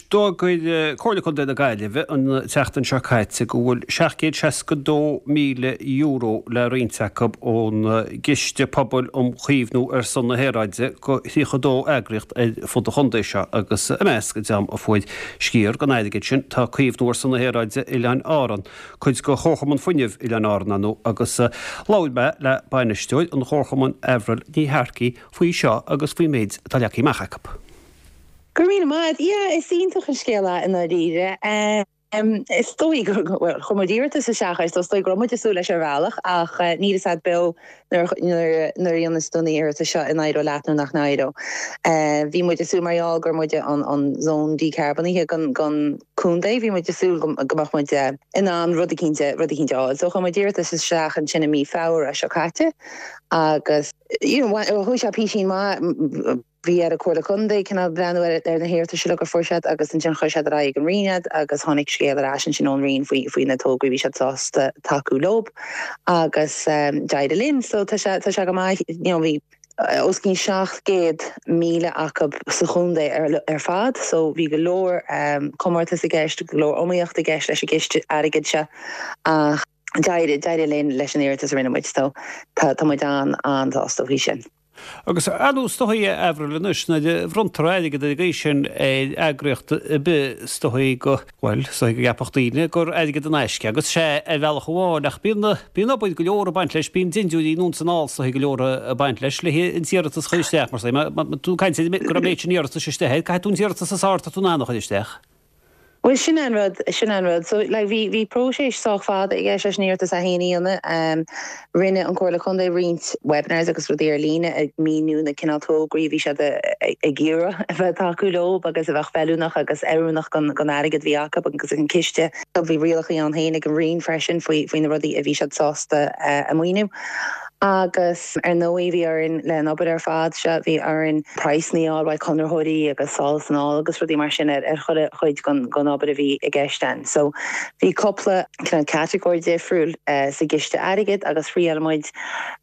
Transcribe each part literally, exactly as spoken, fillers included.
D'fhógair Comhairle Contae na Gaillimhe an tseachtain seo caite go bhfuil seacht gcéad seasca dó míle euro le roinnt acu ón gCiste Pobail um Chaomhnú ar son na hAeráide go thríocha dó eagraíocht ar fud an chontae seo agus i measc an dream a fuair sciar den airgead sin tá Caomhnú ar son na hAeráide Oileáin Árann, cuid de Chomharchumann Fuinnimh Oileáin Árann ar ndóigh agus labhair mé le bainisteoir an Chomharchumainn Avril Ní Shearcaigh faoi seo agus faoin méid atá leagtha amach acu. Go raibh míle maith, yeah, is iontach an scéal é i ndáiríre. Um, is dóigh well, chuir muid iarratas isteach is dóigh go raibh muid ag súil leis ar bhealach ach uh, níl a fhios agat beo nuair nuair a dhéanas tú an iarratas seo an éireoidh leat nó nach n-éireoidh. Uh, bhí muid ag súil mar gheall gur muid an an zón dícharbónaithe den den chontae, bhí muid ag súil go mbeadh muid in ann rud eicínt rud eicínt a fháil. So chuir muid iarratas isteach ansin i mí Feabhra seo caite agus you know, chuaigh sé píosín maith bhí ar an Chomhairle Contae cineál breathnú ar ar na hiarratais go fuair siad agus ansin chuir siad ar aghaidh an Roinn iad agus tháinig scéal ar ais ansin ón Roinn faoi faoi na tograí bhí siad sásta tacú leo agus um, d'éirigh linn so tá sé tá sé go maith you know, bhí os cionn seacht gcéad míle acu sa chontae ar, ar fad, so bhí go leor um, comórtas i gceist go leor iomaíocht i gceist leis an gciste airgid seo ach d'éirigh d'éirigh linn leis an iarratas a rinne muid so tá tá muid an an-sásta faoi sin. Agus anú stoí Avril anois nuair a bhronntar airgead ar an sin ar eagraíocht ar bith is dóigh go bhfuil is dóigh go gceapfadh daoine gur airgead in aisce agus sé ar bhealach amháin ach bíonn bíonn obair go leor ag baint leis bíonn dindiúirí anonn is anall is dóigh go leor ag baint leis le an t-iarratas a chur isteach mar má tú caint go raibh méid sin iarratas isteach caithfidh tú an t-iarratas is fearr atá tú in ann a chur isteach. Well sin an rud sin an rud so like bhí bhí próiseas sách fada i gceist leis an iarratas a dhéanamh um, rinne an Chomhairle Contae roinnt webinars agus rudaí ar líne ag míniú na cineál tograí bhí siad ag iarraidh a bheith tacú leo agus a bheith feiliúnach agus oiriúnach don don airgead bhí acu agus an ciste bhí rialacha ann féin ag an Roinn freisin faoi faoi na rudaí a bhí siad sásta uh, a mhaoiniú. Agus ar ndóigh bhí orainn le an obair ar fad seo bhí orainn praghsanna a fháil conraitheoirí agus sall san agus rudaí mar sin ar ar chuid chuid den den obair a bhí i gceist ann. So bhí cúpla catagóir difriúil uh, sa gciste airgid agus thriail muid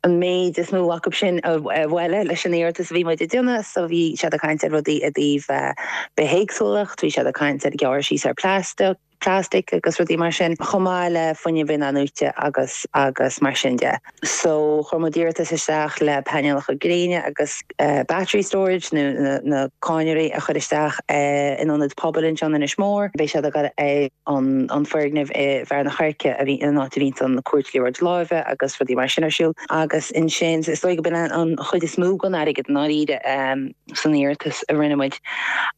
an méid is mó acu sin a bhualadh leis an iarratas a bhí muid ag déanamh, so bhí siad ag caint ar rudaí i dtaobh uh, bithéagsúlacht, bhí siad ag caint ar gearradh síos ar plastic plastic agus rudaí mar sin chomh maith le fuinneamh inathnuaite agus agus mar sin de. So chuir muid iarratas isteach le painéalacha gréine agus uh, battery storage nó na, na cadhnraí a chur isteach uh, in ionad pobail anseo in Inis Mór, Beidh siad ag é an an foirgneamh i bhFearann an Choirce a bhí an áit a bhíonn an cúirt liathróid láimhe agus rudaí mar sin ar siúl agus ansin is dóigh go b'in an chuid is mó den airgead ndáiríre um, san iarratas a rinne muid.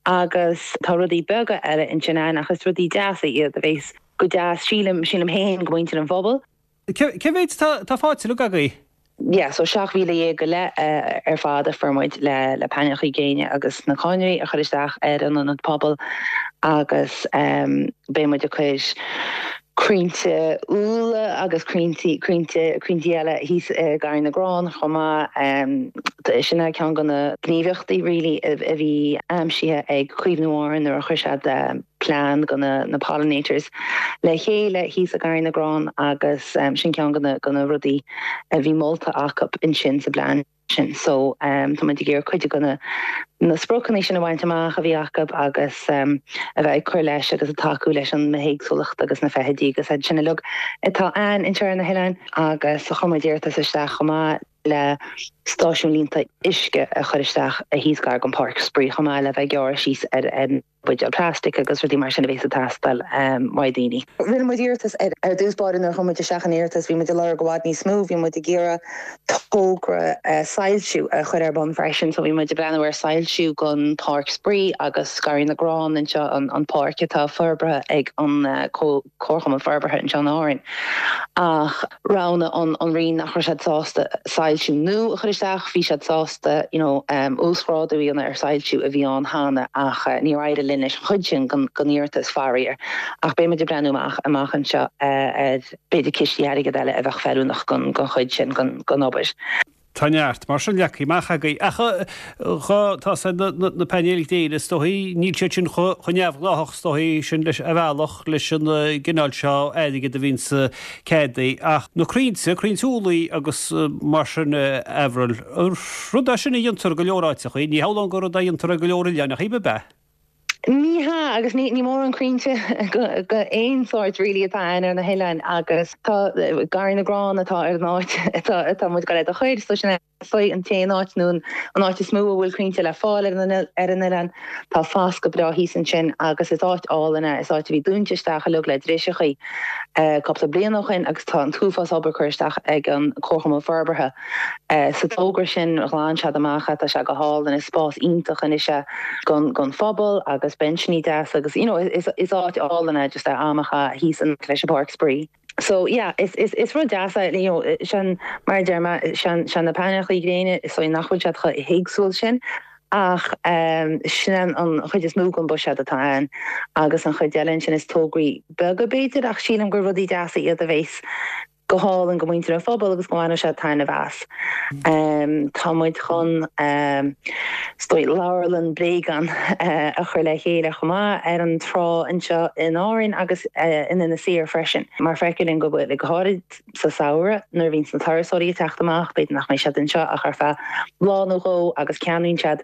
Agus tá rudaí beaga eile ansin ann ach is rudaí deasa iad a bheas go deas sílim sílim féin go muintir an phobail. Cé mhéad tá faighte agaibh? Yeah, so seacht míle dhéag go leith uh, ar fad a fuair muid le le painéalacha gréine agus na cadhnraí a chur isteach ar an ionad pobail agus um, beidh muid ag cur crainnte úlla agus crainnte crainnte crainnte eile thíos uh, Garraí na gCrann chomh maith um, sin é ceann de na gníomhaíochtaí really a bhí aimsithe ag Caomhnú Árann nuair a chuir siad um, plean do na, na pollinators le chéile thíos i Garraí na gCrann agus um, sin ceann de na de na rudaí a bhí molta acu ansin sa bplean sin so um, tá muid ag iarraidh cuid de na na spriocanna sin a bhaint amach a bhí acu agus um, a bheith ag cur leis agus ag tacú leis an mbithéagsúlacht agus na feithidí agus iad sin uilig atá ann anseo ar na hoileáin agus chuir muid iarratas isteach chomh maith le stáisiún líonta uisce a chur isteach a thíos gar don pháirc spraoi chomh maith le bheith gearradh síos ar ar buidéil plastic agus rudaí mar sin a bheas ag teastáil um, ó dhaoine. Rinne muid iarratas ar ar dtús báire nuair chuir muid isteach an iarratas bhí muid ag lorg i bhfad níos mó, bhí muid ag iarraidh togra uh, soilsiú a chur ar bun freisin, so bhí muid ag breathnú ar soilsiú don pháirc spraoi agus Garraí na gCrann anseo an, an páirc atá forbartha ag an uh, Comharchumann Forbartha anseo in Árainn. Ach roghnaigh an an Roinn nach raibh siad sásta soilsiú nua a chur isteach, bhí siad sásta you know, um, uasghrádú a dhéanamh ar soilsiú a bhí ann cheana ach uh, níor éirigh linn leis an chuid sin den den iarratas faraor. Ach beidh muid ag breathnú amach amach anseo uh, ar b'fhéidir cistí airgid eile a bheadh feiliúnach don don chuid sin den den obair. Tá neart mar sin leagtha amach agaibh ach dhá tá na painéil gréine is dóigh níl siad sin chomh neamhghnách is dóigh sin leis a bhealach leis an gcineál seo airgid a bhíonn sa ceadaí ach na crainnte crainnte úlla agus mar sin Avril rud é sin a dhéantar go leor áiteachaí ní hamháin gur rud a dhéantar go leor oileán ach b'ea. Ní hea agus ní ní mórán crainnte go aon sórt really atá ann ar na hoileáin agus tá Garraí na gCrann atá ar an áit atá atá muid ag goil a chur so sin é an t-aon áit nó an áit is mó a bhfuil crainnte le fáil ar an ar an oileán tá fás go breá thíos ansin agus is áit álainn é is áit a bhí dúnta isteach uilig le driseachaí cúpla bliain ó shin agus tá an t-uafás obair curtha isteach ag an Comharchumann Forbartha sa togra sin ghlan siad amach tá sé go hálainn is spás iontach anois é gon gon phobal agus benchní deas agus you know is is áit álainn é just am a chaitheamh thíos an leis an bpáirc spraoi. So yeah, is is is rud deas é you know sin mar deir mé sin sin na painéalacha gréine is so nach bhfuil siad chomh héagsúil sin ach um, sin an chuid is mó den bhuiséad atá ann agus an chuid eile sin is tograí beaga b'fhéidir ach sílim gur rudaí deasa iad a bheas go hálainn go muintir an phobal agus go mbainfidh siad taitneamh as. Um, tá muid chun um, stoi leabharlann bréagán uh, a chur le chéile chomh maith ar an trá anseo in Árainn agus uh, in Inis Oírr freisin. Mar feictear go bhfuil go háirid sa samhradh nuair a bhíonn na turasóirí ag teacht amach, b'fhéidir nach mbeidh siad anseo ach ar feadh lá nó dhó agus ceannaíonn siad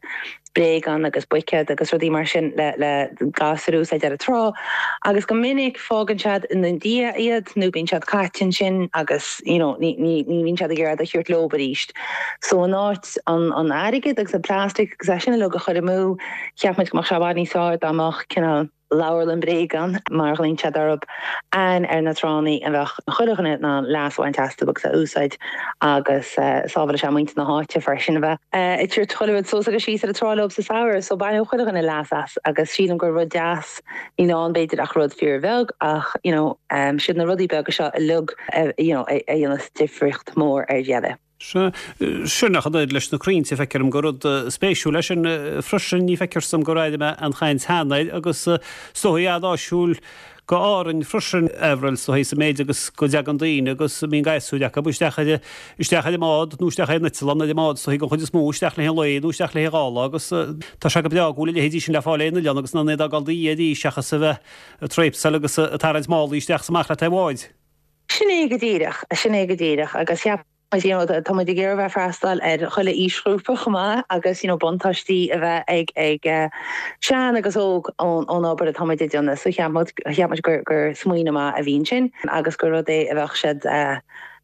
bréagán agus buicéad agus rudaí mar sin le le gasúir a úsáid ar an trá agus go minic fágann siad ina ndiaidh iad nó bíonn siad caite ansin agus you know, ní ní ní bhíonn siad ag iarraidh a thabhairt leo arís. So in áit an an airgead agus an plastic agus é sin uilig a chur amú cheap muid go mbeadh sé i bhfad níos fearr dá mbeadh cineál leabharlann bréagán mar ghlaonn siad orthu ann ar na tránna a bheadh chuile dhuine in ann leas a bhaint astu agus a úsáid agus sábháil sé muintir na háite freisin a bheith ag tabhairt chuile rud suas agus síos ar an trá leo sa samhradh so baineadh chuile dhuine leas as agus sílim gur rud deas níl ann b'fhéidir ach rud fíorbheag ach you know um, siad na rudaí beaga seo uilig uh, you know, a dhéanas difríocht mór ar deireadh. Sin nach leis na crainnte feictear dom gur rud spéisiúil leis an freisin ní feictear dom gur airigh mé an chaint cheana agus is dóigh an-áisiúil go Árainn freisin Avril is dóigh sa méid agus go dtagann daoine agus bíonn gasúir acu isteach ar isteach ar an mbád nó isteach ar an eitleán ar an mbád is dóigh an chuid is mó isteach le lá nó isteach le dhá lá agus tá sé go breá go bhfuil a leithéidí sin le fáil ar an oileán agus ná dul dí arís seachas a bheith tréipseáil agus ag tarraingt málaí isteach amach le taobh bháid. Sin é go díreach, sin é go díreach agus cheap you know, tá muid ag iarraidh bheith freastal ar chuile aoisghrúpa chomh maith agus you know, buntáistí a bheith ag ag uh, sean agus óg ón ón obair atá muid ag déanamh so cheap muid gur gur smaoineamh maith a bhí ansin agus gur rud é a bheadh siad uh,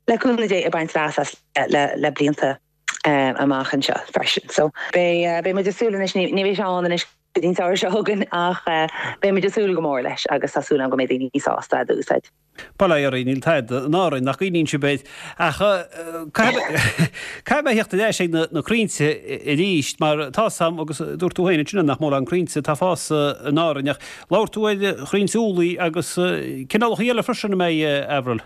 le cúnamh Dé ag baint leas as le, le blianta um, amach anseo freisin. So be uh, beidh muid ag súil anois ní bheidh sé ann anois go dtí an samhradh seo chugainn ach uh, beidh muid ag súil go mór leis agus tá súil agam go mbeidh daoine sásta a úsáid. Bail ó Dhia oraibh níl tada in Árainn nach gcuimhníonn sibh air ach caithfidh mé theacht ar ais ag na crainnte arís mar tá sam agus dúirt tú féin ansin nach mórán crainnte atá ag fás in Árainn ach labhair tú ar chrainnte úllaí agus cineálacha eile freisin a mbeidh Avril.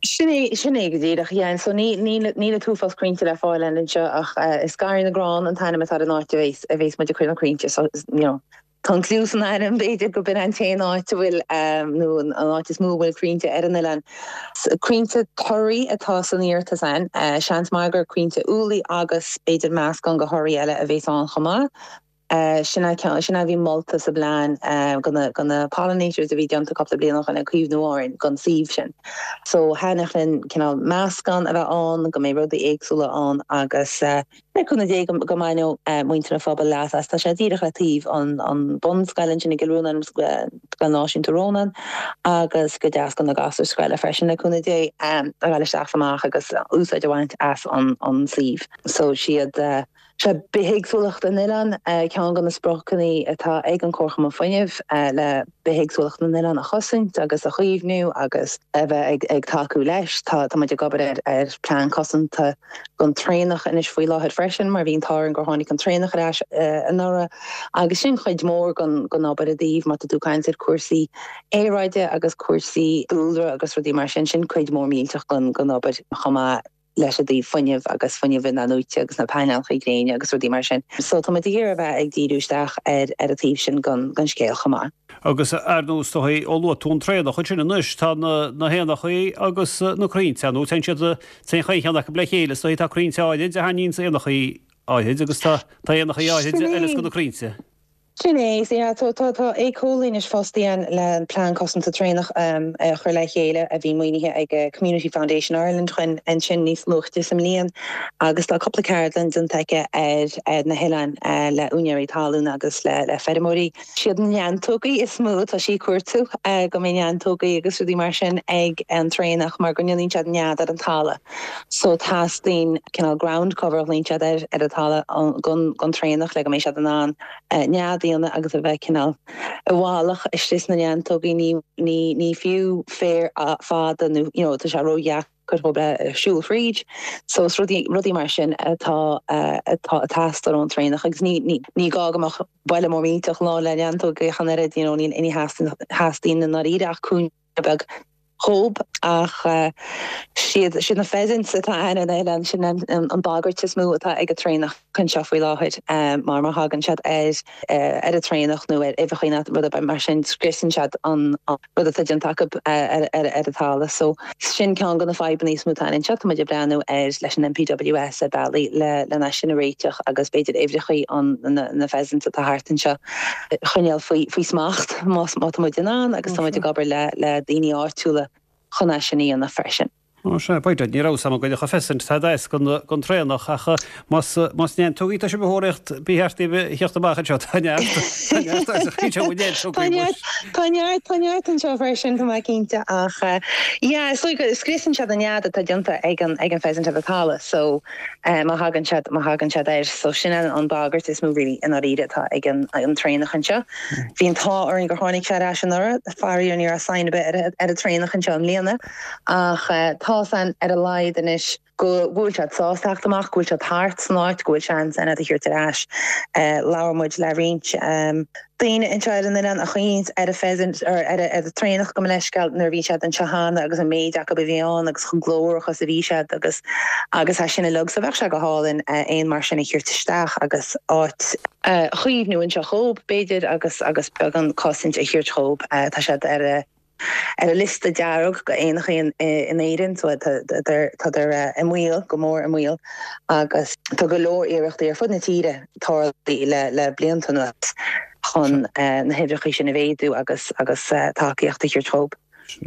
Sin é sin é go díreach yeah, so ní ní ní an t-uafás crainnte le fáil anseo ach uh, is Garraí na gCrann an t-ainm atá an áit a bheas a bheas muid ag cur na crainnte so you know, Tá cluas an ainm b'fhéidir go b'in an t-aon áit a bhfuil um, nó an áit is mó a bhfuil crainnte ar an oileán. Crainnte torthaí atá san iarratas ann, uh, seans maith gur crainnte úllaí agus b'fhéidir meascán de thorthaí eile a bheas ann chomh maith. Uh, sinna sinna bhí molta sa bplean uh, gona gona pollinators a bhí déanta cúpla bliain ó shin ag Caomhnú Árann gon suíomh sin. So thaitneodh linn cineál meascán a bheith ann go mbeidh rudaí éagsúla ann agus uh, le cúnamh Dé go go mbainfidh uh, muintir an phobail leas as tá sé díreach le taobh an an bunscoil sin i gCill Rónáin Scoil Náisiúnta Rónán agus go deas go na gasúir scoile freisin le cúnamh Dé um, a ghabháil isteach amach agus úsáid a bhaint as an an suíomh. So siad uh, sé bithéagsúlacht an oileáin ceann de na spriocanna atá ag an Comharchumann Fuinnimh le bithéagsúlacht na n-oileán a chosaint agus a chaomhnú agus a bheith ag, ag tacú leis tá tá muid ag obair ar ar plean cosanta gon traonach anois faoi láthair freisin mar bhí an t-ádh orainn gur tháinig an traonach ar ais anuraidh agus sin chuid mór gon gon obair i dtaobh má tá tú ag caint ar cúrsaí aeráide agus cúrsaí dúlra agus rudaí mar sin sin cuid mór millteach gon gon obair chomh maith leis an dtaobh fuinnimh agus fuinneamh in-athnuaite agus na painéalacha gréine agus rudaí mar sin. So tá muid ag iarraidh a bheith ag díriú isteach ar ar an taobh sin gon gon scéal chomh maith. Agus ar nós dóigh ó luaigh tú an traonach sin anois tá na na héanachaí agus na crainnte nó téann siad téann chaon cheann acu le chéile so tá crainnte áirid a thaitníonn éanachaí áirid agus tá tá éanachaí áirid eile go na crainnte. Sin é yeah, tá tá tá éiceolaí anois fostaithe le an plean cosanta traonach um, a chur le chéile a bhí maoinithe ag eh, Community Foundation Ireland chun ansin níos luaithe sa mbliain agus tá cúpla ceardlann déanta aici ar ar na hoileáin uh, le úinéirí talún agus le le feirmeoirí. Siad na neantógaí is mó tá sí ag cuartú uh, go mbeidh neantógaí agus rudaí mar sin ag an traonach mar go ndéanann siad nead ar an talamh. So teastaíonn cineál ground cover líon siad ar ar an talamh gon gon traonach le go mbeidh siad in ann uh, nead a dhéanamh agus a bheith cineál i bhfolach istigh sna neantógaí ní ní ní fiú féar fada nó you know, tá sé ródheacair dóibh siúl fríd. So is rudaí rudaí mar sin atá atá teastáil ón traonach agus ní ní ní gá go mbeadh baile mór millteach lán le neantógaí ach an oiread you know, ní ní theastaíonn i ndáiríre ach cúinne beag dhóibh ach siad siad na pheasants atá ann an oileán sin an, an, an bagairt is mó atá ag an traonach anseo faoi láthair um, mar má thagann siad ar uh, ar an traonach nó ar uibheacha rud mar sin scriosann siad an, an rud atá déanta acu ar, ar, ar an talamh so sin ceann de na fadhbanna is mó atá anseo tá muid ag breathnú ar leis an NPWS a bealaí le le sin a réiteach agus b'fhéidir uimhreacha an na, na pheasants atá thart anseo choinneáil faoi faoi smacht má má tá muid in ann agus tá muid ag obair le le daoine áitiúla chun é sin a dhéanamh freisin. Ó sé b'fhéidir ní raibh sam go a pheasant tá gon gon traonach ach más más neantógaí tá sé behorecht bhí theacht amach anseo tá neart Tá neart tá neart anseo freisin tá mé cinnte ach yeah so scriosann siad an nead atá déanta ag an ag an pheasant ar an talamh so má thagann siad má thagann siad air so sin an an bagairt is mó really i ndáiríre atá ag an an traonach anseo. Bhí an t-ádh orainn gur tháinig sé ar ais anuraidh faraor ní raibh sign ar bith ar an traonach anseo i mbliana ach tá san ar a laghad anois go bhfuil siad sásta teacht amach, go bhfuil siad thart san áit, go bhfuil seans ann iad a thabhairt ar ais. Labhair muid le roinnt daoine anseo ar an oileán a choinnigh ar a pheasant ar ar ar traonach go leisceal nuair bhí siad anseo cheana agus an méid acu a bhí ann agus chomh glórach is a bhí siad agus agus é sin uilig so bheadh sé go hálainn éan mar sin a thabhairt isteach agus áit a chaomhnú anseo dhóibh b'fhéidir agus agus beagán cosaint a thabhairt dhóibh tá siad ar a ar a liosta dearg go éanacha in in Éirinn so tá i mbaol go mór i mbaol agus tá go leor iarrachtaí ar fud na tíre tarlaithe le le blianta anuas chun na huimhreacha sin a mhéadú agus agus tacaíocht a thabhairt dhóibh.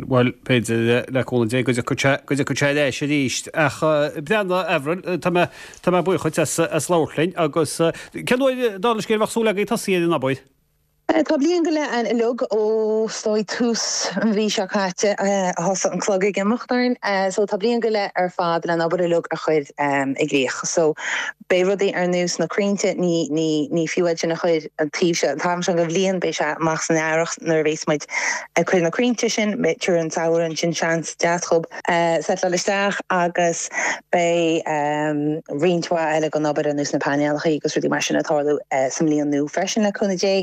Bhuel b'fhéidir le cúnamh Dé go dtiocfaidh sé leis arís ach breanna Avril tá mé tá mé buíoch as as labhairt linn agus cén uair dála an scéil a bheadh súil agaibh tosaí ar an obair? Tá bliain go leith ann uilig ó is dóigh tús an mhí seo caite a thosaigh an clog ag imeacht orainn. So tá bliain go leith ar fad le an obair uilig a chur i gcrích. So beidh rudaí ar nós na crainnte ní ní ní fiú iad sin a chur an taobh seo an t-am seo den bhliain beidh sé amach san earrach nuair a bheas muid ag cur na crainnte sin tríd an samhradh sin seans deas dhóibh settleáil isteach agus beidh roinnt mhaith eile den obair ar nós na painéalacha agus rudaí mar sin ag tarlú sa mbliain nua freisin le cúnamh Dé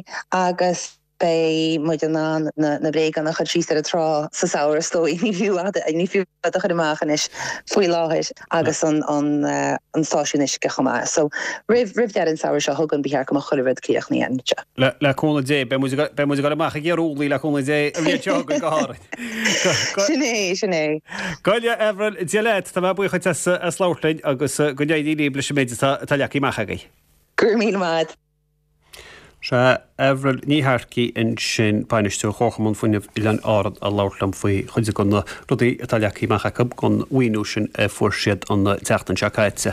agus beidh muid in ann na na bréagáin a chur síos ar an trá sa samhradh is dóigh ní fiú ní fiú a chur amach anois faoi láthair agus an an an stáisiún uisce chomh maith. So roimh roimh deireadh an samhradh seo chugainn ba cheart go mbeadh chuile rud críochnaithe anseo. Le le cúnamh Dé beidh muid beidh muid ag dul amach ag iarraidh le cúnamh Dé an bhliain seo chugainn go háirithe. Sin é sin é. Goile Avril Dia leat tá mé buíoch as as labhairt linn agus go n-éirí libh leis an méid atá atá leagtha amach agaibh. Go raibh míle maith. Sé Avril Ní Shearcaigh ansin bainisteoir Chomharchumann Fuinnimh Oileáin Árann a labhairt liom faoi chuid de na rudaí atá leagtha amach acu don mhaoiniú sin a fuair siad an tseachtain seo caite.